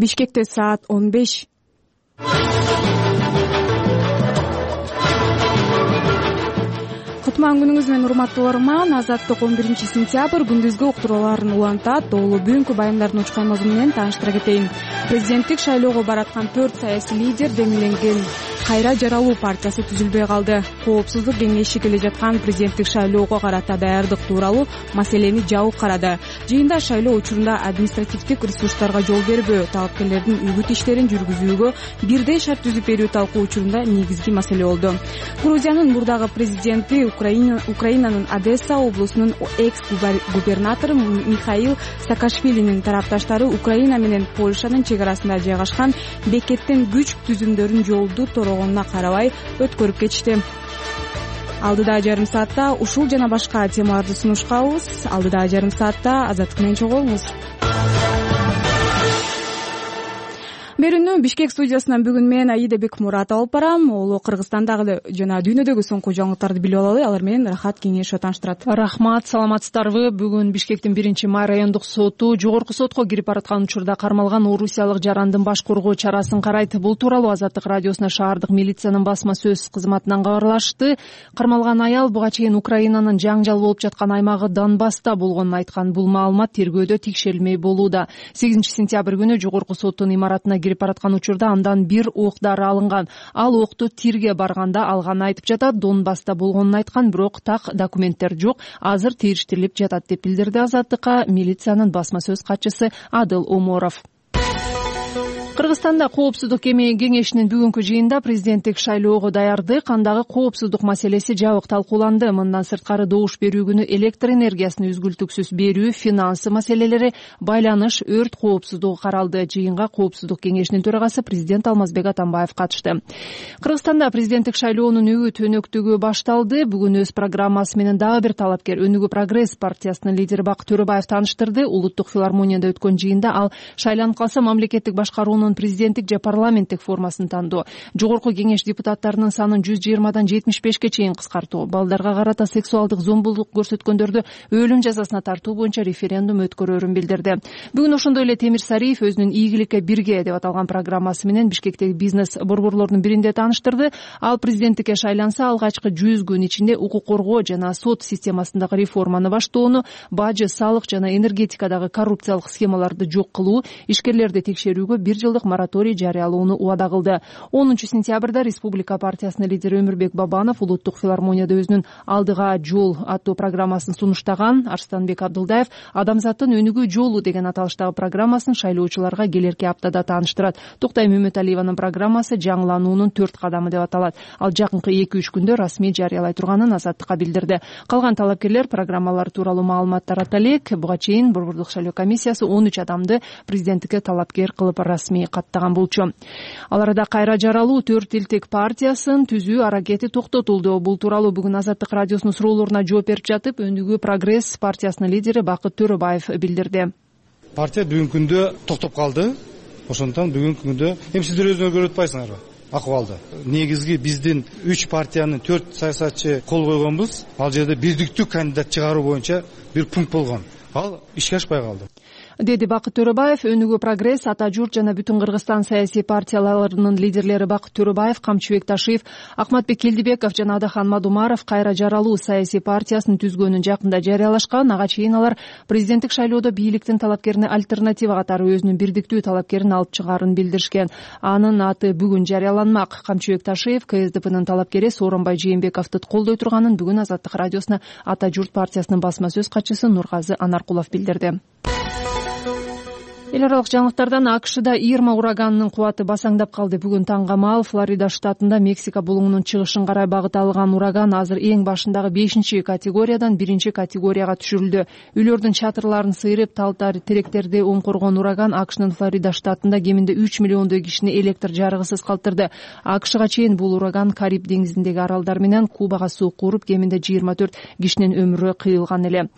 Бишкекте саат 15. Кутман күнүңүз менен урматтуу угарман. Азаттык 11-сентябрь күндүзгү уктурууларын улантат. Долуу бүгүнкү баяндардын учкан мазмуну менен тааныштыра кетейин. Президенттик шайлоого бараткан 4 саясий лидер демилген Кайра жаралуу партиясы түзүлбөй калды. Коопсуздук кеңеши келе жаткан президенттик шайлоого карата даярдык тууралуу маселени жабык карады. Жыйында шайлоо учурунда административдик ресурстарга жол бербөө, талапкерлердин үгүт иштерин жүргүзүүгө бирдей шарт түзүп берүү талкуу учурунда негизги маселе болду. Грузиянын мурдагы президенти, Украинанын Одесса облусунун экс-губернатору Михаил Саакашвилинин тарапташтары Украина менен Польшанын чек арасында жайгашкан бекеттен күч түзүмдөрүн жолду торогонуна карабай өткөрүп кетишти. Алдыда жарым саатта ушул жана башка темаларды сунушкабыз. Алдыда жарым саатта Азаттык менен чогулуңуз. Берүүнү Бишкек студиясынан бүгүн мен Аида Бекмурат алып барам. Ол Кыргызстандагы жана дүйнөдөгү соңку жаңылыктарды билип алалы. Алар менен Рахат Кеңешов тааныштырат. Рахмат, саламатсыздарбы? Бүгүн Бишкектин 1-май райондук соту жогорку сотко кирип бараткан учурда кармалган орусиялык жарандын баш коргоо чарасын карайт. Бул тууралуу Азаттык радиосуна шаардык милициянын басма сөз кызматынан кабарлашты. Кармалган аял буга чейин Украинанын жаңжал болуп жаткан аймагы Донбасста болгонун айткан. Бул маалымат тергөөдө текшерилмей болууда. 8-сентябрь күнү жогорку соттун имаратына кирип бараткан учурда андан бир ок дары алынган. Ал окту тирге барганда алганын айтып жатат. Донбасста болгонун айткан, бирок так документтер жок. Азыр териштирилип жатат деп билдирди Азаттыкка милициянын басма сөз катчысы Адыл Оморов. Кыргызстанда коопсуздук кеңешинин бүгүнкү жыйында президенттик шайлоого даярдык, андагы коопсуздук маселеси жабык талкууланды. Мындан сырткары добуш берүү күнү электр энергиясын үзгүлтүксүз берүү, финансы маселелери, байланыш, өрт коопсуздугу каралды. Жыйынга коопсуздук кеңешинин төрагасы президент Алмазбек Атамбаев катышты. Кыргызстанда президенттик шайлоонун үгүт өнөктүгү башталды. Бүгүн өз программасы менен дагы бир талапкер Өнүгүү прогресс партиясынын лидери Бакыт Төрөбаев тааныштырды. Улуттук филармонияда өткөн жыйында ал шайланып калса мамлекеттик башкаруунун президенттик же парламенттик формасын тандоо, жогорку кеңеш депутаттарынын санын 120дан 75ке чейин кыскартуу, балдарга карата сексуалдык зомбулук көрсөткөндөрдү өлүм жазасына тартуу боюнча референдум өткөрөрүн билдирди. Бүгүн ошондой эле Темир Сариев өзүнүн ийгиликке бирге деп аталган программасы менен Бишкектеги бизнес борборлордун биринде тааныштырды. Ал президенттикке шайланса алгачкы 100 күн ичинде укук коргоо жана сот системасындагы реформаны баштоону, бажы, салык жана энергетикадагы коррупциялык схемаларды жок кылуу, ишкерлерди текшерүүгө 1 жылдык мораторий жарыялоону убада кылды. 10-сентябрда Республика партиясынын лидери Өмүрбек Бабанов Улуттук филармонияда өзүнүн Алдыга жол аттуу программасын сунуштаган. Арстанбек Абдылдаев Адамзаттын өнүгүү жолу деген аталыштагы программасын шайлоочуларга келерки аптада тааныштырат. Токтай Мөмөталиеванын программасы жаңылануунун 4 кадамы деп аталат. Ал жакынкы 2-3 күндө расмий жарыялай турганын Азаттыкка билдирди. Калган талапкерлер программалар тууралуу маалымат тарата элек. Буга чейин борбордук шайлоо комиссиясы 13 адамды президенттикке талапкер кылып расмий каттаган болчу. Ал арада Кайра жаралуу 4 элтек партиясын түзүү аракети токтотулду. Бул тууралуу бүгүн Азаттык радиосунун суроолоруна жооп берип жатып, Өнүгүү прогресс партиясынын лидери Бакыт Төрөбаев билдирди. Партия бүгүнкү күндө токтоп калды. Ошондон бүгүнкү күндө сиздер өзүңөр көрүп атпайсыңарбы акыбалды? Негизги биздин 3 партиянын 4 саясатчы кол койгонбуз. Ал жерде бирдиктүү кандидат чыгаруу боюнча бир пункт болгон. Ал ишке ашпай калды, деди Бакыт Төрөбаев. Өнүгүү прогресс, Ата журт жана Бүтүн Кыргызстан саясий партияларынын лидерлери Бакыт Төрөбаев, Камчыбек Ташиев, Акматбек Келдибеков жана Адахан Мадумаров Кайра жаралуу саясий партиясын түзгөнүн жакында жарыялашкан. Ага чейин алар президенттик шайлоодо бийликтин талапкерине альтернатива катары өзүнүн бирдиктүү талапкерин алып чыгаарын билдиришкен. Анын аты бүгүн жарыяланмак. Камчыбек Ташиев КСДПнын талапкери Сооронбай Жээнбековду колдой турганын бүгүн Азаттык радиосуна Ата журт партиясынын басма сөз катчысы Нургазы Анаркулов билдирди. Эл аралык жаңылыктардан АКШда Ирма ураганынын кубаты басаңдап калды. Бүгүн таңга маал Флорида штатында Мексика булуңунун чыгышын карай багыт алган ураган азыр эң башындагы 5-категориядан 1-категорияга түшүрүлдү. Үйлөрдүн чатырларын сыйрып, талтар теректерди оңкоргон ураган АКШнын Флорида штатында кеминде 3 миллиондой кишини электр жарыгысыз калтырды. АКШга чейин бул ураган Кариб деңизиндеги аралдар менен Кубага суук уруп, кеминде 24 кишинин өмүрү кыйылган эле.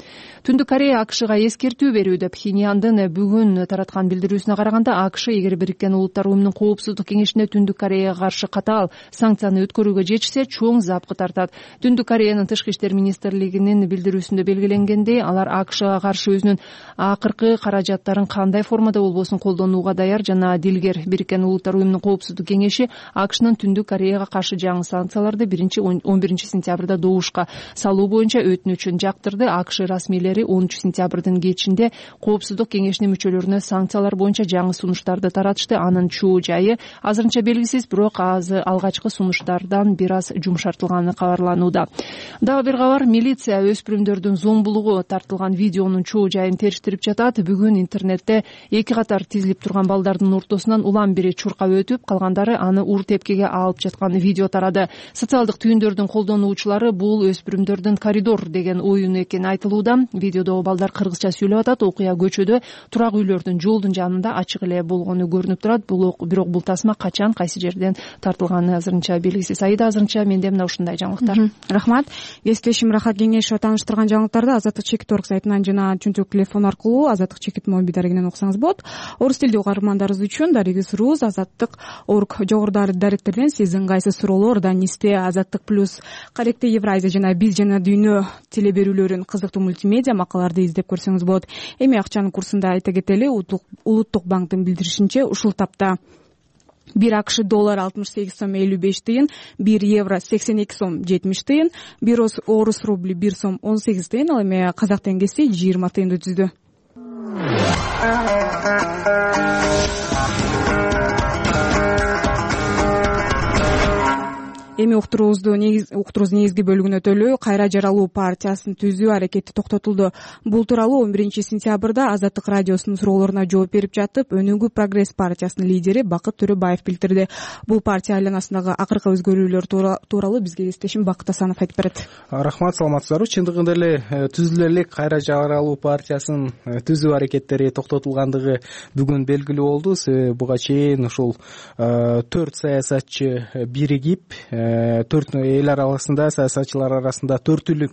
Түндүк Корея АКШга эскертүү берүүдө. Пхеньяндын бүгүн тараткан билдирүүсүнө караганда АКШ эгер Бириккен Улуттар уюмунун Коопсуздук кеңешине Түндүк Кореяга каршы катаал санкцияны өткөрүүгө жетишсе чоң запкы тартат. Түндүк Кореянын Тышкы иштер министрлигинин билдирүүсүндө белгиленгендей, алар АКШга каршы өзүнүн акыркы каражаттарын кандай формада болбосун колдонууга даяр жана дилгер. Бириккен Улуттар уюмунун Коопсуздук кеңеши АКШнын Түндүк Кореяга каршы жаңы санкцияларды 11 сентябрда добушка салуу боюнча өтүнүчүн жактырды. АКШ расмийлери 10 сентябрдын кечинде Коопсуздук кеңешинин мүчөлөрүнө санкциялар боюнча жаңы сунуштарды таратышты. Анын чоо жайы азырынча белгисиз, бирок алгачкы сунуштардан бир аз жумшартылганы кабарланууда. Дагы бир кабар, милиция өспүрүмдөрдүн зомбулугу тартылган видеонун чоо жайын териштирип жатат. Бүгүн интернетте эки катар тизилип турган балдардын ортосунан улам бири чуркап өтүп, калгандары аны ур тепкиге алып жаткан видео тарады. Социалдык түйүндөрдүн колдонуучулары бул өспүрүмдөрдүн коридор деген оюну экени айтылууда. Видеодогу балдар кыргызча сүйлөп атат. Окуя көчөдө, турак үйлөрдүн жолдун жанында ачык эле болгону көрүнүп турат. Бирок бул тасма качан, кайсы жерден тартылганы азырынча белгисиз. Айда, азырынча менде мына ушундай жаңылыктар. Рахмат. Кесиптешим Рахат Кеңешова тааныштырган жаңылыктарды Азаттык чекит орг сайтынан жана чөнтөк телефон аркылуу Азаттык чекит мобиль дарегинен окусаңыз болот. Орус тилдүү угармандарыбыз үчүн дарегибиз Азаттык орг жогору даректерден сиздин кайсы суроолор Данисте, Азаттык плюс, Каректе Евразия жана Биз жана Дүйнө телеберүүлөрүн, кызыктуу мультимедиа макалаларды издеп көрсөңүз болот. Эми акчанын курсунда айта кетели, Улуттук банктын билдиришинче ушул тапта 1 АКШ доллар 68 сом 55 тыйын, 1 евро 82 сом 70 тыйын, 1 орус рубли 1 сом 18 тыйын, ал эми казак теңгеси 20 тыйынды түздү. Эми уктуруубуздун негизги бөлүгүнө өтөлү. Кайра жаралуу партиясын түзүү аракети токтотулду. Бул тууралуу 11 сентябрда Азаттык радиосунун суроолоруна жооп берип жатып, Өнүгүү прогресс партиясынын лидери Бакыт Төрөбаев билдирди. Бул партия айланасындагы акыркы өзгөрүүлөр тууралуу бизге кесиптешим Бакыт Асанов айтып берет. Рахмат, саламатсыздарбы. Чындыгында эле түзүлө элек Кайра жаралуу партиясынын түзүү аракеттери токтотулгандыгы бүгүн белгилүү болду. Себеби буга чейин ушул 4 саясатчы биригип, 4 эл арасында, саясатчылар арасында төртүлүк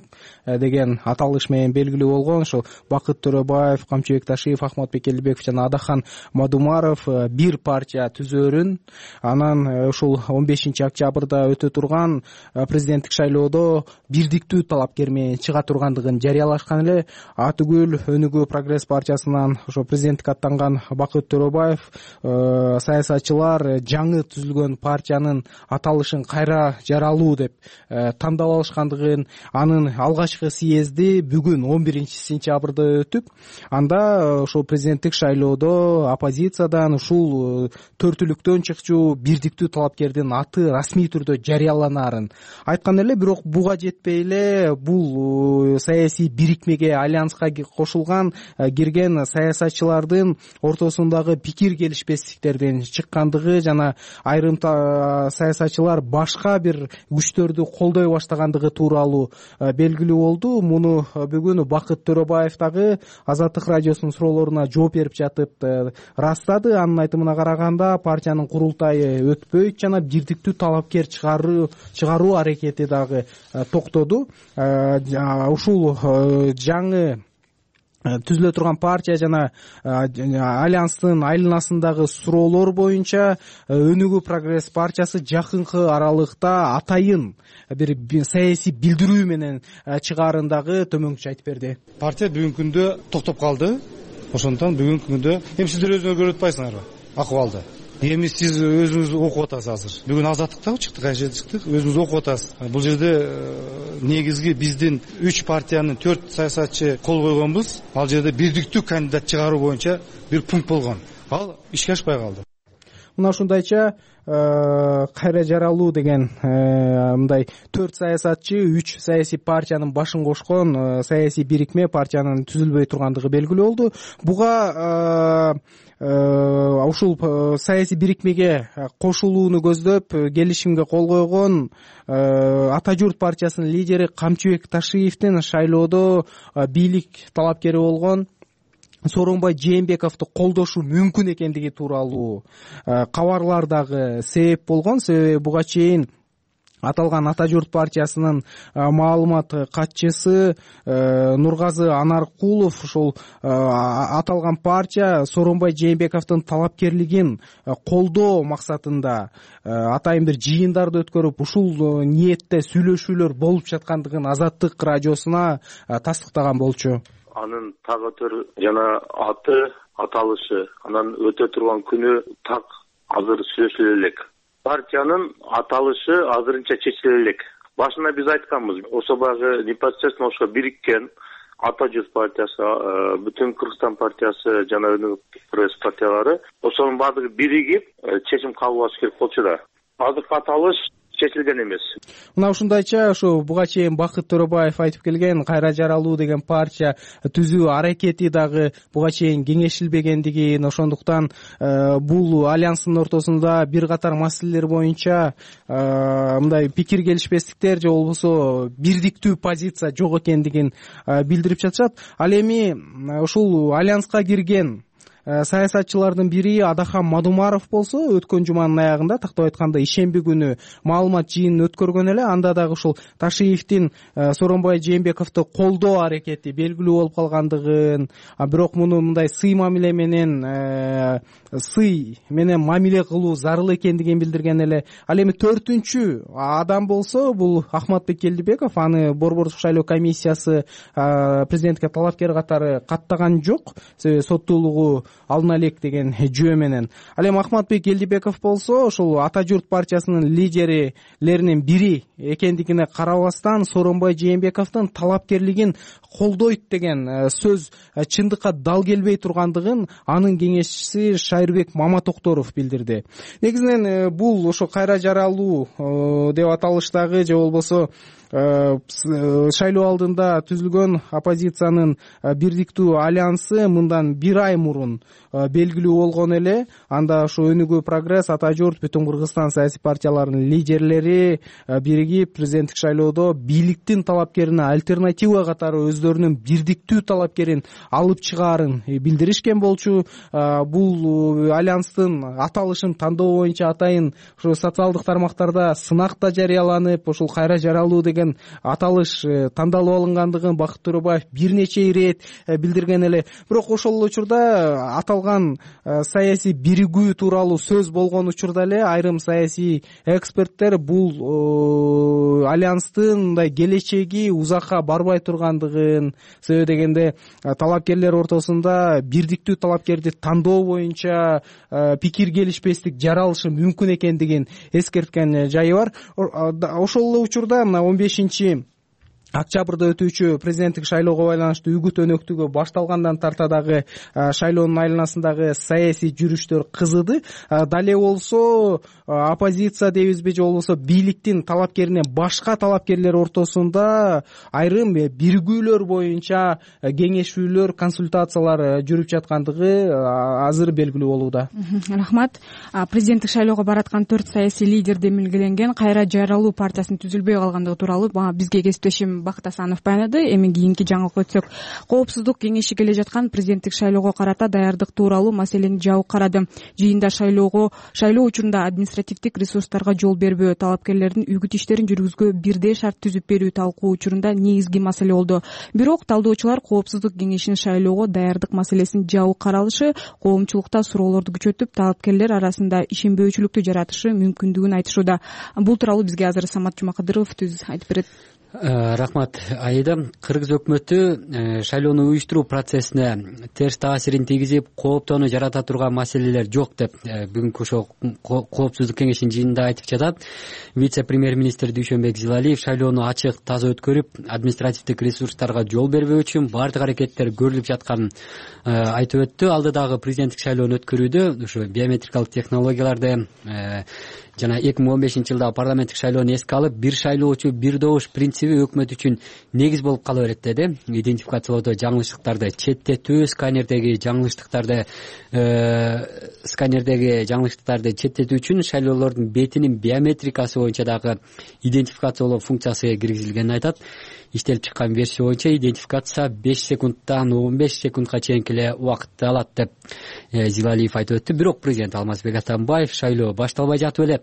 деген аталыш менен белгилүү болгон. Ошо Бакыт Төрөбаев, Камчыбек Ташиев, Ахматбек Элдибеков жана Адахан Мадумаров бир партия түзөөрүн, анан ушул 15 октябрда өтө турган президенттик шайлоодо бирдиктүү талапкер менен чыга тургандыгын жарыялашкан эле. Атүгүл Өнүгүү прогресс партиясынан ошо президенттикке аттанган Бакыт Төрөбаев саясатчылар жаңы түзүлгөн партиянын аталышын Кайра жаралуу деп тандап алышкандыгын, анын алгачкы съезди бүгүн 11 сентябрда өтүп, анда ошол президенттик шайлоодо оппозициядан ушул төртүлүктөн чыкчу бирдиктүү талапкердин аты расмий түрдө жарыяланаарын айткан эле. Бирок буга жетпей эле бул саясий бирикмеге, альянска кошулган кирген саясатчылардын ортосундагы пикир келишпестиктерден чыккандыгы жана айрым саясатчылар башка бир күчтөрдү колдой баштагандыгы тууралуу белгилүү болду. Муну бүгүн Бакыт Төрөбаев дагы Азаттык радиосунун суроолоруна жооп берип жатып ырастады. Анын айтымына караганда, партиянын курултайы өтпөйт жана бирдиктүү талапкер чыгаруу аракети дагы токтоду. Ушул жаңы түзүлө турган партия жана альянстын айланасындагы суроолор боюнча Өнүгүү прогресс партиясы жакынкы аралыкта атайын бир саясий билдирүү менен чыгаарын дагы төмөнкүчө айтып берди. Партия бүгүнкү күндө токтоп калды. Ошондон бүгүнкү күндө эми сиздер өзүңөр көрүп атпайсыңарбы акыбалды? Эми сиз өзүңүз окуп атасыз азыр. Бүгүн Азаттыкта чыктык, кайсы жерде чыктык, өзүңүз окуп атасыз. Бул жерде негизги биздин 3 партиянын 4 саясатчы кол койгонбуз. Ал жерде бирдиктүү кандидат чыгаруу боюнча бир пункт болгон. Ал ишке ашпай калды. Мына ушундайча Кайра жаралуу деген мындай 4 саясатчы 3 саясий партиянын башын кошкон саясий бирикме партиянын түзүлбөй тургандыгы белгилүү болду. Буга ушул саясий бирикмеге кошулууну көздөп келишимге кол койгон Ата журт партиясынын лидери Камчыбек Ташиевдин шайлоодо бийлик талапкери болгон Сооронбай Жээнбековду колдошу мүмкүн экендиги тууралуу кабарлар дагы себеп болгон. Себеби буга чейин аталган Ата журт партиясынын маалымат катчысы Нургазы Анаркулов ушул аталган партия Сооронбай Жээнбековдун талапкерлигин колдоо максатында атайын бир жыйындарды өткөрүп ушул ниетте сүйлөшүүлөр болуп жаткандыгын Азаттык радиосуна тастыктаган болчу. Анын тагы жана аты, аталышы, анан өтө турган күнү так азыр сүйлөшүлө элек. Партиянын аталышы азырынча чечиле элек. Башында биз айтканбыз, ошо багы непосредственно ошо бириккен Ата журт партиясы, бүтүн Кыргызстан партиясы жана пресс партиялары ошонун баардыгы биригип чечим кабыл алыш керек болчу да. Азыркы аталыш чечилген эмес. Мына ушундайча ушу буга чейин Бакыт Төрөбаев айтып келген кайра жаралуу деген партия түзүү аракети дагы буга чейин кеңешилбегендигин, ошондуктан бул альянстын ортосунда бир катар маселелер боюнча мындай пикир келишпестиктер же болбосо бирдиктүү позиция жок экендигин билдирип жатышат. Ал эми ушул альянска кирген саясатчылардын бири Адахан Мадумаров болсо, өткөн жуманын аягында, тактап айтканда ишемби күнү маалымат жыйынын өткөргөн эле. Анда дагы ушул Ташиевдин Сооронбай Жээнбековду колдоо аракети белгилүү болуп калгандыгын, бирок муну мындай сый мамиле кылуу зарыл экендигин билдирген эле. Ал эми төртүнчү адам болсо, бул Ахматбек Келдибеков, аны Борбордук шайлоо комиссиясы президентке талапкер катары каттаган жок, себеби соттуулугу алына элек деген жөө менен. Ал эми Ахматбек Келдибеков болсо, ушул Ата журт партиясынын лидерлеринин бири экендигине карабастан Сооронбай Жээнбековдун талапкерлигин колдойт деген сөз чындыкка дал келбей тургандыгын анын кеңешчиси Шайырбек Маматокторов билдирди. Негизинен бул ошо кайра жаралуу деп аталыштагы же болбосо шайлоо алдында түзүлгөн оппозициянын бирдиктүү альянсы мындан бир ай мурун белгилүү болгон эле. Анда ошо Өнүгүү прогресс, Ата журт, бүтүн Кыргызстан саясий партияларынын лидерлери биригип президенттик шайлоодо бийликтин талапкерине альтернатива катары өздөрүнүн бирдиктүү талапкерин алып чыгаарын билдиришкен болчу. Бул альянстын аталышын тандоо боюнча атайын ошо социалдык тармактарда сынак да жарыяланып, ушул кайра жаралуу деген аталыш тандалып алынгандыгын Бакыт Төрөбаев бир нече ирет билдирген эле. Бирок ошол учурда аталган саясий биригүү тууралуу сөз болгон учурда эле айрым саясий эксперттер бул альянстын мындай келечеги узакка барбай тургандыгын, себеби дегенде талапкерлер ортосунда бирдиктүү талапкерди тандоо боюнча пикир келишпестик жаралышы мүмкүн экендигин эскерткен жайы бар. Ошол эле учурда мына 15 октябрда өтүүчү президенттик шайлоого байланыштуу үгүт өнөктүгү башталгандан тарта дагы шайлоонун айланасындагы саясий жүрүштөр кызыды. Дале болсо оппозиция дейбизби же болбосо бийликтин талапкеринен башка талапкерлер ортосунда айрым биригүүлөр боюнча кеңешүүлөр, консультациялар жүрүп жаткандыгы азыр белгилүү болууда. Рахмат. Президенттик шайлоого бараткан 4 саясий лидер демилгеленген кайра жаралуу партиясынын түзүлбөй калгандыгы тууралуу бизге кесиптешим Бакыт Асанов баянады. Эми кийинки жаңылыкка өтсөк, коопсуздук кеңеши келе жаткан президенттик шайлоого карата даярдык тууралуу маселени жабык карады. Жыйында шайлоо учурунда административдик ресурстарга жол бербөө, талапкерлердин үгүт иштерин жүргүзүүгө бирдей шарт түзүп берүү талкуу учурунда негизги маселе болду. Бирок талдоочулар коопсуздук кеңешинин шайлоого даярдык маселесин жабык каралышы коомчулукта суроолорду күчөтүп, талапкерлер арасында ишенбөөчүлүктү жаратышы мүмкүндүгүн айтышууда. Бул тууралуу бизге азыр Самат Жумакадыров түз айтып берет. Рахмат, Аида. Кыргыз өкмөтү шайлоону уюштуруу процессине терс таасирин тийгизип, кооптоону жарата турган маселелер жок деп бүгүнкү ошол коопсуздук кеңешинин жыйынында айтып жатат. Вице-премьер-министр Дүйшөнбек Зилалиев шайлоону ачык, таза өткөрүп, административдик ресурстарга жол бербөө үчүн баардык аракеттер көрүлүп жатканын айтып өттү. Алдыдагы президенттик шайлоону өткөрүүдө ушу биометрикалык технологияларды жана 2015-жылдагы парламенттик шайлоону эске алып, бир шайлоочу бир добуш принциби өкмөт үчүн негиз болуп кала берет деди. Идентификациялоодо жаңылыштыктарды четтетүү, сканердеги жаңылыштыктарды четтетүү үчүн шайлоолордун бетинин биометрикасы боюнча дагы идентификациялоо функциясы киргизилгенин айтат. иштелип чыккан версия боюнча идентификация 5 секундтан 15 секундка чейинки эле убакытты алат деп Зилалиев айтып өттү. Бирок президент Алмазбек Атамбаев шайлоо башталбай жатып эле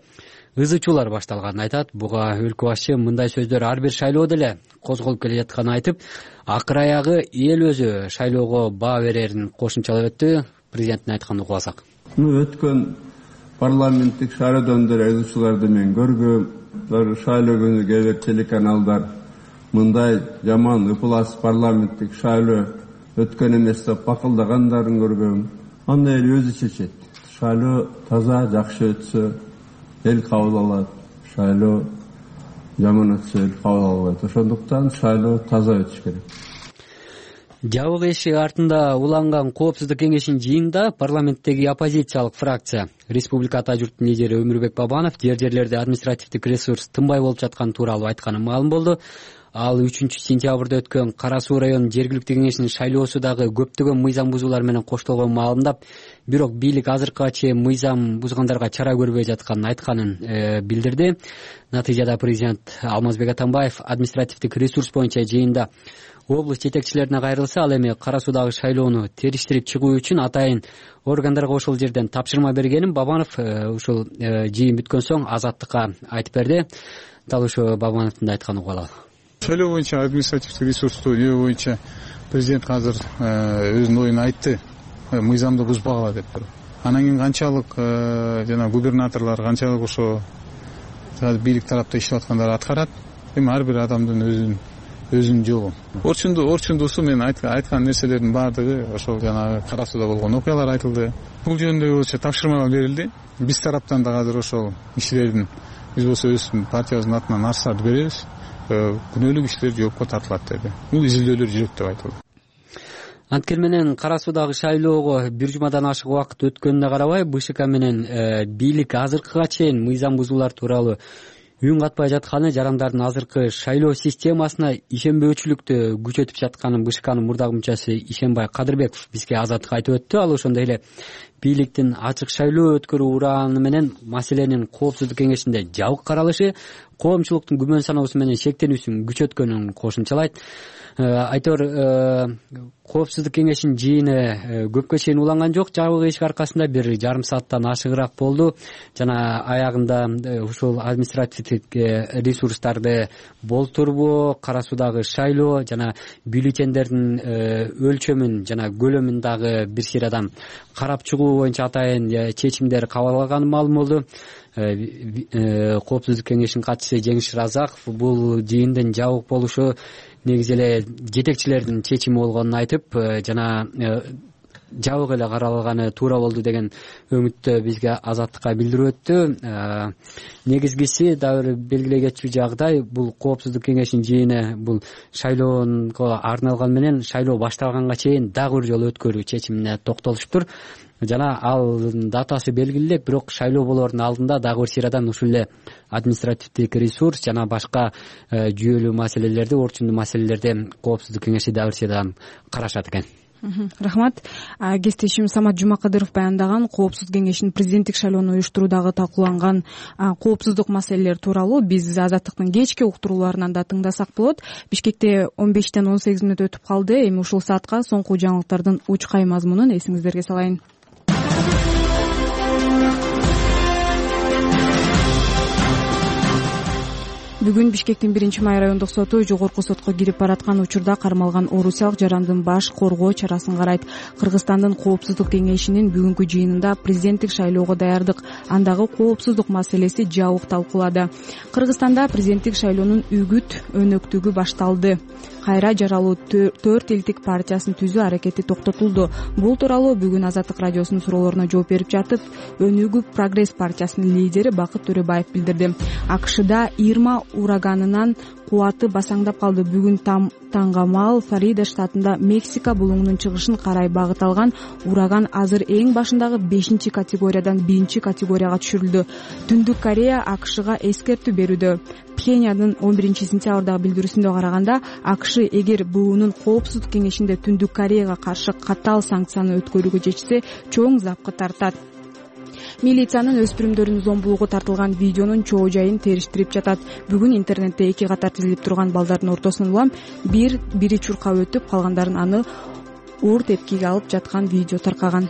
ызы чуулар башталганын айтат. Буга өлкө башчы мындай сөздөр ар бир шайлоодо эле козголуп келе жатканын айтып, акыр аягы эл өзү шайлоого баа берерин кошумчалап өттү. Президенттин айтканын угуп алсак. Өткөн парламенттик шайлоодон деле ызы чууларды мен көргөм. Шайлоо күнү кээ бир телеканалдар мындай жаман ыплас парламенттик шайлоо өткөн эмес деп бакылдагандарын көргөм. Аны эл өзү чечет. Шайлоо таза, жакшы өтсө эл кабыл алат. Шайлоо жаман өтсө эл кабыл албайт. Ошондуктан шайлоо таза өтүш керек. Жабык эшик артында уланган коопсуздук кеңешинин жыйынында парламенттеги оппозициялык фракция Республика ата журттун лидери Өмүрбек Бабанов жер-жерлерде административдик ресурс тынбай болуп жатканы тууралуу айтканы маалым болду. Ал 3-сентябрда өткөн Кара Суу районунун жергиликтүү кеңешинин шайлоосу дагы көптөгөн мыйзам бузуулар менен коштолгонун маалымдап, бирок бийлик азыркыга чейин мыйзам бузгандарга чара көрбөй жатканын айтканын билдирди. Натыйжада президент Алмазбек Атамбаев административдик ресурс боюнча жыйында облус жетекчилерине кайрылса, ал эми Кара Суудагы шайлоону териштирип чыгуу үчүн атайын органдарга ошол жерден тапшырма бергенин Бабанов ушул жыйын бүткөн соң Азаттыкка айтып берди. Дал ошо Бабановдун айтканын угуп алалы. Шайлоо боюнча административдик ресурсту жөө боюнча президент азыр өзүнүн оюн айтты, мыйзамды бузбагыла деп туруп. Анан кийин канчалык жана губернаторлор канчалык ошо бийлик тарапта иштеп аткандар аткарат. Эми ар бир адамдын өзүнүн жолу. Орчундусу мен айткан нерселердин баардыгы ошол жанагы Кара Сууда болгон окуялар айтылды. Бул жөнүндө болчу тапшырмалар берилди. Биз тараптан да азыр ошол иштердин биз болсо өз партиябыздын атынан арыздарды беребиз. Күнөөлүк иштер жоопко тартылат деди. Бул изилдөөлөр жүрөт деп айтылды. Анткени менен Кара Суудагы шайлоого бир жумадан ашык убакыт өткөнүнө карабай, БШК менен бийлик азыркыга чейин мыйзам бузуулар тууралуу үн катпай жатканы, жарандардын азыркы шайлоо системасына ишенбөөчүлүктү күчөтүп жатканын БШКнын мурдагы мүчөсү Ишенбай Кадырбеков бизге Азаттыкка айтып өттү. Ал ошондой эле бийликтин ачык шайлоо өткөрүү ураны менен маселенин коопсуздук кеңешинде жабык каралышы коомчулуктун күмөн саноосу менен шектенүүсүн күчөткөнүн кошумчалайт. Айтор коопсуздук кеңешинин жыйыны көпкө чейин уланган жок. Жабык эшик аркасында 1,5 сааттан ашыгыраак болду. Жана аягында ушул административдик ресурстарды болтурбоо, Кара Суудагы шайлоо жана бюллетендердин өлчөмүн жана көлөмүн дагы бир сыйрадан карап чыгуу боюнча атайын чечимдер кабыл алганы маалым болду. Коопсуздук кеңешинин катчысы Жеңиш Разаков бул жыйындын жабык болушу негизи эле жетекчилердин чечими болгонун айтып, жана жабык эле каралганы туура болду деген үмүттү бизге Азаттыкка билдирип өттү. Негизгиси дагы бир белгилей кетчү жагдай, бул коопсуздук кеңешинин жыйыны бул шайлоого арналган менен шайлоо башталганга чейин дагы бир жолу өткөрүү чечимине токтолуштур. Жана ал датасы белгилелек, бирок шайлоо болоордун алдында дагы бир сыйрадан ушул эле административдик ресурс жана башка жүйөлүү маселелерди, орчундуу маселелерди коопсуздук кеңеши дагы бир сыйрадан карашат экен. Рахмат. Кесиптешим Самат Жумакадыров баяндаган коопсуздук кеңешинин президенттик шайлоону уюштуруудагы талкууланган коопсуздук маселелер тууралуу биз Азаттыктын кечки уктурууларынан да тыңдасак болот. Бишкекте 15-тен 18 мүнөт өтүп калды. Эми ушул саатка соңку жаңылыктардын учкай мазмунун эсиңиздерге салайын. Бүгүн Бишкектин 1-май райондук соту жогорку сотко кирип бараткан учурда кармалган орусиялык жарандын баш коргоо чарасын карайт. Кыргызстандын коопсуздук кеңешинин бүгүнкү жыйынында президенттик шайлоого даярдык, андагы коопсуздук маселеси жабык талкуулады. Кыргызстанда президенттик шайлоонун үгүт өнөктүгү башталды. Кайра жаралуу 4 элдик партиясын түзүү аракети токтотулду. Бул тууралуу бүгүн Азаттык радиосунун суроолоруна жооп берип жатып, Өнүгүү Прогресс партиясынын лидери Бакыт Төрөбаев билдирди. АКШда Ирма ураганынан кубаты басаңдап калды. Бүгүн таңгамал Флорида штатында Мексика булуңунун чыгышын карай багыт алган ураган азыр эң башындагы 5-категориядан 1-категорияга түшүрүлдү. Түндүк Корея АКШга эскертүү берүүдө. Пхеньяндын 11-сентябрдагы билдирүүсүндө караганда, АКШ эгер буунун коопсуздук кеңешинде Түндүк Кореяга каршы катаал санкцияны өткөрүүгө чечсе, чоң запкы тартат. Милициянын өспүрүмдөрдүн зомбулугу тартылган видеонун чоо жайын териштирип жатат. Бүгүн интернетте эки катар тизилип турган балдардын ортосунан улам бири чуркап өтүп, калгандарын аны уур тепкиге алып жаткан видео таркаган.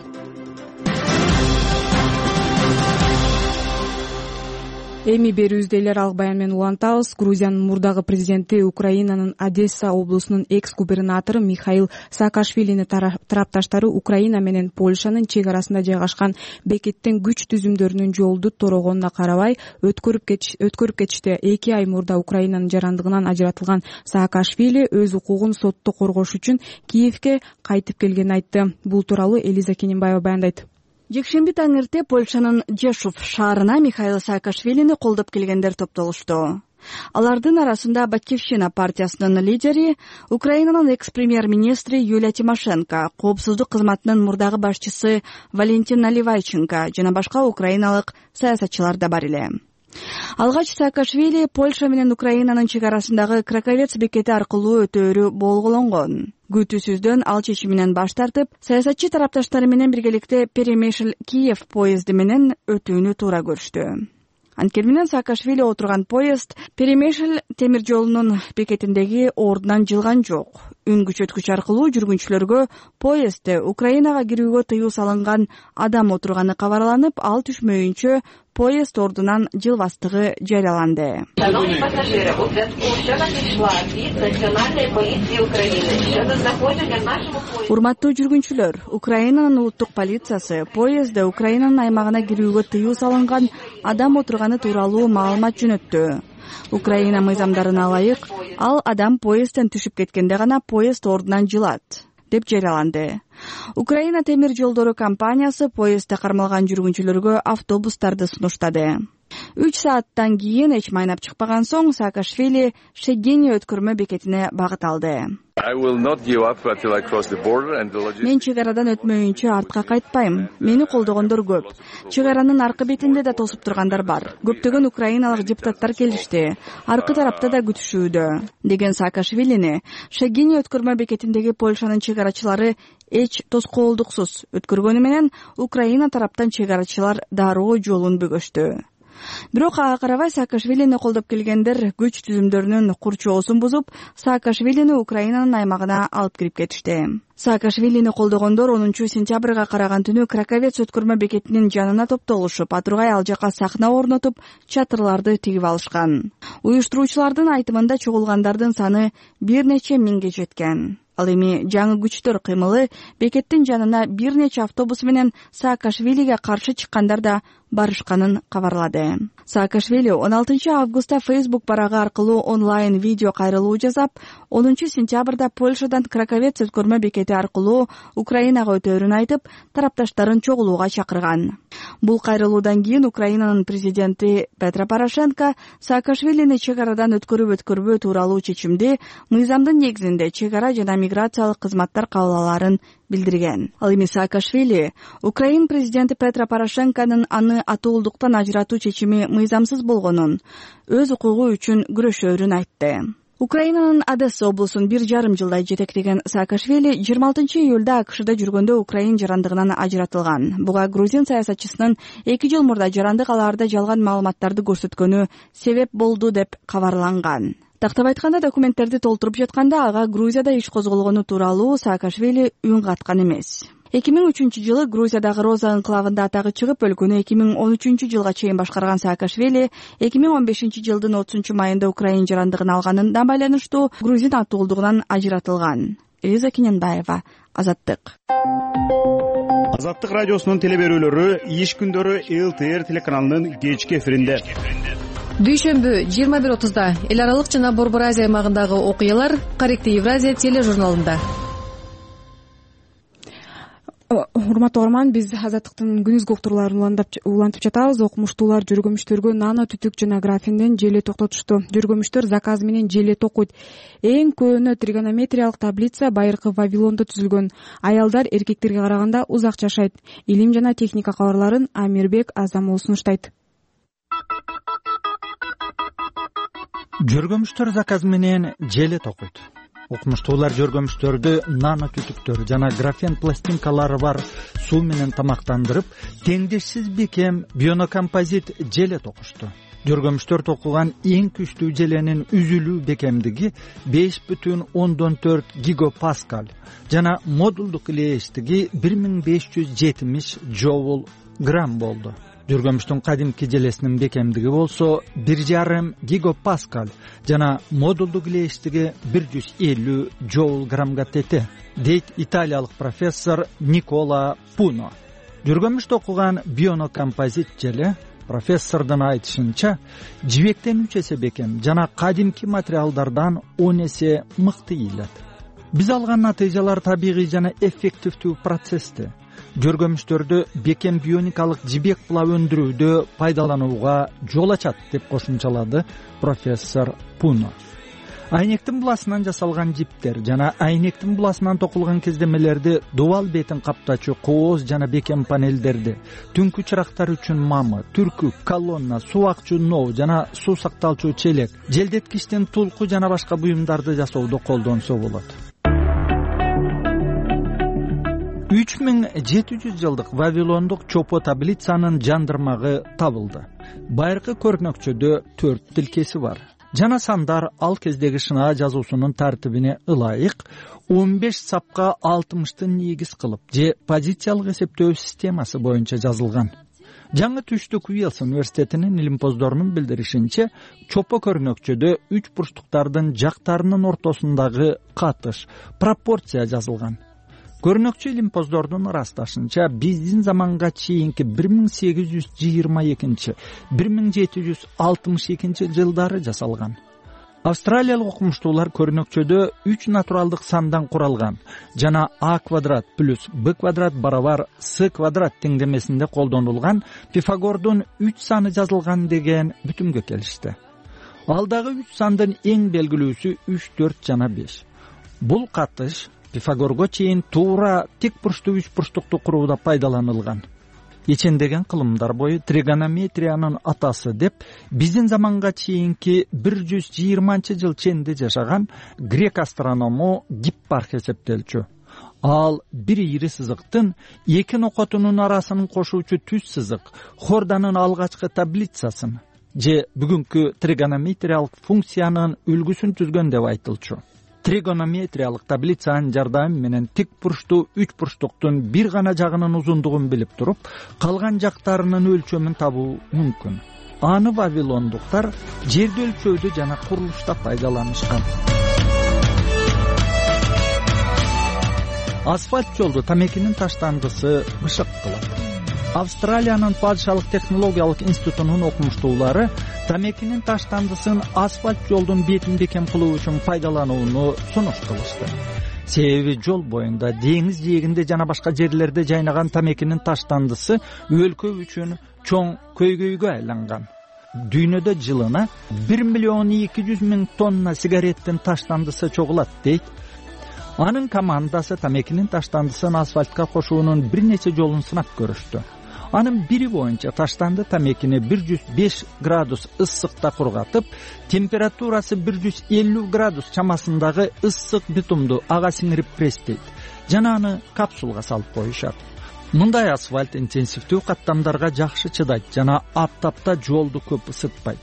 Эми берүүбүздө эле аралык баян менен улантабыз. Грузиянын мурдагы президенти Украинанын Одесса облусунун экс-губернатору Михаил Саакашвилинин тарапташтары Украина менен Польшанын чек арасында жайгашкан бекеттин күч түзүмдөрүнүн жолду торогонуна карабай өткөрүп кетишти. 2 ай мурда Украинанын жарандыгынан ажыратылган Саакашвили өз укугун сотто коргош үчүн Киевге кайтып келгенин айтты. Бул тууралуу Элиза Кененбаева баяндайт. Жекшемби таң эрте Польшанын Жешув шаарына Михаил Саакашвилини колдоп келгендер топтолушту. Алардын арасында Батькивщина партиясынын лидери, Украинанын экс-премьер-министри Юлия Тимошенко, коопсуздук кызматынын мурдагы башчысы Валентин Наливайченко жана башка украиналык саясатчылар да бар эле. Алгач Саакашвили Польша менен Украинанын чек арасындагы Краковец бекети аркылуу өтөөрү болгологонгон. Күтүүсүздөн ал чечиминен баш тартып, саясатчы тарапташтары менен биргеликте Перемишль-Киев поезди менен өтүүнү туура көрүштү. Анткени менен Саакашвили отурган поезд Перемишль темир жолунун бекетиндеги ордунан жылган жок. Үн күчөткүч аркылуу жүргүнчүлөргө поездде Украинага кирүүгө тыюу салынган адам отурганы кабарланып, ал түшмөйүнчө поезд ордунан жылбастыгы жарыяланды. Урматтуу жүргүнчүлөр, Украинанын улуттук полициясы поездде Украинанын аймагына кирүүгө тыюу салынган адам отурганы тууралуу маалымат жөнөттү. Украина мыйзамдарына ылайык, ал адам поездден түшүп кеткенде гана поезд ордунан жылат, деп жарыяланды. Украина темир жолдору компаниясы поездде кармалган жүргүнчүлөргө автобустарды сунуштады. 3 сааттан кийин эч майнап чыкпаган соң Саакашвили Шегини өткөрмө бекетине багыт алды. Мен чек арадан өтмөйүнчө артка кайтпайм. Мени колдогондор көп. Чек аранын аркы бетинде да тосуп тургандар бар. Көптөгөн украиналык депутаттар келишти. Аркы тарапта да күтүшүүдө, деген Саакашвилини Шегини өткөрмө бекетиндеги Польшанын чек арачылары эч тоскоолдуксуз өткөргөнү менен Украина тараптан чек арачылар дароо жолун бөгөштү. Бирок ага карабай Саакашвилини колдоп келгендер күч түзүмдөрүнүн курчоосун бузуп, Саакашвилини Украинанын аймагына алып кирип кетишти. Саакашвилини колдогондор 10 сентябрга караган түнү Краковец өткөрмө бекетинин жанына топтолушуп, атургай ал жака сахна орнотуп, чатырларды тигип алышкан. Уюштуруучулардын айтымында чогулгандардын саны бир нече миңге жеткен. Ал эми жаңы күчтөр кыймылы бекеттин жанына бир нече автобус менен Саакашвилиге каршы чыккандар да барышканын кабарлады. Саакашвили 16 августта Facebook барагы аркылуу онлайн видео кайрылуу жасап, 10 сентябрда Польшадан Краковец өткөрмө бекети аркылуу Украинага өтөөрүн айтып, тарапташтарын чогулууга чакырган. Бул кайрылуудан кийин Украинанын президенти Петро Порошенко Саакашвилини чек арадан өткөрүбө тууралуу чечимди мыйзамдын негизинде чек ара жана миграциялык кызматтар кабыл алаарын билдирген. Ал эми Саакашвили Украин президенти Петро Порошенконун аны атуулдуктан ажыратуу чечими мыйзамсыз болгонун, өз укугу үчүн күрөшөөрүн айтты. Украинанын Одесса облусун 1,5 жылдай жетектеген Саакашвили 26 июлда АКШда жүргөндө Украин жарандыгынан ажыратылган. Буга грузин саясатчысынын 2 жыл мурда жарандык алаарда жалган маалыматтарды көрсөткөнү себеп болду деп кабарланган. Тактап айтканда, документтерди толтуруп жатканда ага Грузияда иш козголгону тууралуу Саакашвили үн каткан эмес. 2003 жылы Грузиядагы Роза анклавында атагы чыгып, өлкөнү 2013 жылга чейин башкарган Саакашвили 2015 жылдын 30 майында Украин жарандыгын алганына байланыштуу грузин атуулдугунан ажыратылган. Элиза Кененбаева, Азаттык. Азаттык радиосунун телеберүүлөрү иш күндөрү ЛТР телеканалынын кечки эфиринде. Дүйшөмбү 21:30да эл аралык жана Борбор Азия аймагындагы окуялар Корректив Евразия тележурналында. Урматтуу угарман, биз Азаттыктын күнүзгү уктурууларын улантып жатабыз. Окумуштуулар жөргөмүштөргө нано түтүк жана графинден желе токтотушту. Жөргөмүштөр заказ менен желе токуйт. Эң көөнө тригонометриялык таблица байыркы Вавилондо түзүлгөн. Аялдар эркектерге караганда узак жашайт. Илим жана техника кабарларын Амирбек Азамов сунуштайт. Жөргөмүштөр заказ менен желе токуйт. окумуштуулар жөргөмүштөрдү нано түтүктөр жана графен пластинкалары бар суу менен тамактандырып, теңдешсиз бекем бионокомпозит желе токушту. Жөргөмүштөр токулган эң күчтүү желенин үзүлүү бекемдиги 5,4 гигапаскаль жана модулдук илээштиги 1570 жоул грамм болду. Жөргөмүштүн кадимки желесинин бекемдиги болсо 1,5 гигапаскаль жана модулдук илээштиги 150 жоул граммга тете, дейт италиялык профессор Никола Пуно. Жөргөмүш токулган бионокомпозит желе профессордун айтышынча жибектен 3 эсе бекем жана кадимки материалдардан 10 эсе мыкты ийилет. Биз алган натыйжалар табигый жана эффективдүү процессти. Жөргөмүштөрдү бекем бионикалык жибек була өндүрүүдө пайдаланууга жол ачат деп кошумчалады профессор Пуно. Айнектин буласынан жасалган жиптер жана айнектин буласынан токулган кездемелерди, дубал бетин каптачу кооз жана бекем панелдерди, түнкү чырактар үчүн мамы, түркүк, колонна, суу акчу ноо жана суу сакталчу челек, желдеткичтен тулку жана башка буюмдарды жасоодо колдонсо болот. 3700 жылдык вавилондук чопо таблицанын жандырмагы табылды. Байыркы көрнөкчөдө 4 тилкеси бар. Жана сандар ал кездеги шынаа жазуусунун тартибине ылайык 15 сапка 60-тын негиз кылып же позициялык эсептөө системасы боюнча жазылган. Жаңы түштүк Уэльс университетинин илимпоздорунун билдиришинче, чопо көрнөкчөдө 3 бурчтуктардын жактарынын ортосундагы катыш, пропорция жазылган. Көрнөкчү илимпоздордун ырасташынча, биздин заманга чейинки 1822-1762 жылдары жасалган. Австралиялык окумуштуулар көрнөкчөдө 3 натуралдык сандан куралган жана а квадрат плюс б квадрат барабар с квадрат теңдемесинде колдонулган Пифагордун 3 саны жазылган деген бүтүмгө келишти. Алдагы 3 сандын эң белгилүүсү 3, 4 жана 5. Бул катыш Пифагорго чейин туура тик бурчтуу 3 бурчтукту курууда пайдаланылган. Ичендеген кылымдар бою тригонометриянын атасы деп биздин заманга чейинки 120-жыл ченде жашаган грек астроному Гиппарх эсептелчү. Ал бир ийри сызыктын эки нокотунун арасын кошуучу түз сызык Хорданын алгачкы таблицасын же бүгүнкү тригонометриялык функциянын үлгүсүн түзгөн деп айтылчу. Тригонометриялык таблицанын жардамы менен тик бурчтуу 3 бурчтуктун бир гана жагынын узундугун билип туруп, калган жактарынын өлчөмүн табуу мүмкүн. Аны вавилондуктар жерди өлчөөдө жана курулушта пайдаланышкан. Асфальт жолду тамекинин таштандысы бышык кылат. Австралиянын падышалык технологиялык институтунун окумуштуулары тамекинин таштандысын асфальт жолдун бетин бекем кылуу үчүн пайдаланууну сунуш кылышты. Себеби жол боюнда, деңиз жээгинде жана башка жерлерде жайнаган тамекинин таштандысы өлкө үчүн чоң көйгөйгө айланган. Дүйнөдө жылына 1,2 миллион тонна сигареттин таштандысы чогулат дейт. Анын командасы тамекинин таштандысын асфальтка кошуунун бир нече жолун сынап көрүштү. Анын бири боюнча таштанды тамекини 105 градус ысыкта кургатып, температурасы 150 градус чамасындагы ысык битумду ага сиңирип пресстейт жана аны капсулга салып коюшат. Мындай асфальт интенсивдүү каттамдарга жакшы чыдайт жана аптапта жолду көп ысытпайт.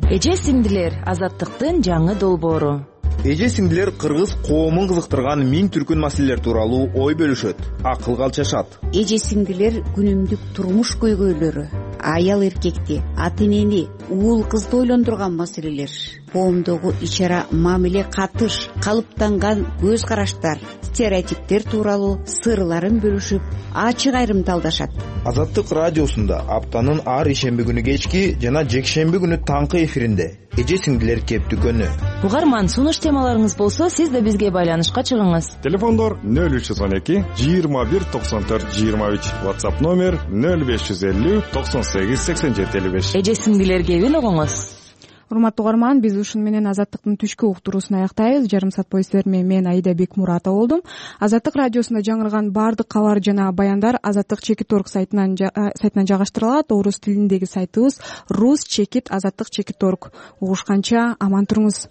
Эже сиңдилер, азаттыктын жаңы долбоору. Эже сиңдилер кыргыз коомун кызыктырган миң түркүн маселелер тууралуу ой бөлүшөт, акыл калчашат. Эже сиңдилер күнүмдүк турмуш көйгөйлөрү, аял эркекти, ата энени, уул кызды ойлондурган маселелер, коомдогу ич-ара мамиле катыш, калыптанган көз караштар, стереотиптер тууралуу сырларын бөлүшүп, ачык айрымталдашат. Азаттык радиосунда аптанын ар ишемби күнү кечки жана жекшемби күнү таңкы эфиринде эже сиңдилер кептүкөнү. Угарман, сунуш темаларыңыз болсо, сиз да бизге байланышка чыгыңыз. Телефондор 0312 21 94 23, WhatsApp номер 0550 98 87 55. Эже сиңдилер кебин угуңуз. Урматтуу угарман, биз ушун менен Азаттыктын түшкү уктуруусун аяктайбыз. Жарым саат бою сиздер менен мен Аида Бекмуратова болдум. Азаттык радиосунда жаңырган баардык кабар жана баяндар Азаттык.org сайтынан жайгаштырылат. Орус тилиндеги сайтыбыз rus.azаттык.org. Угушканча аман туруңуз.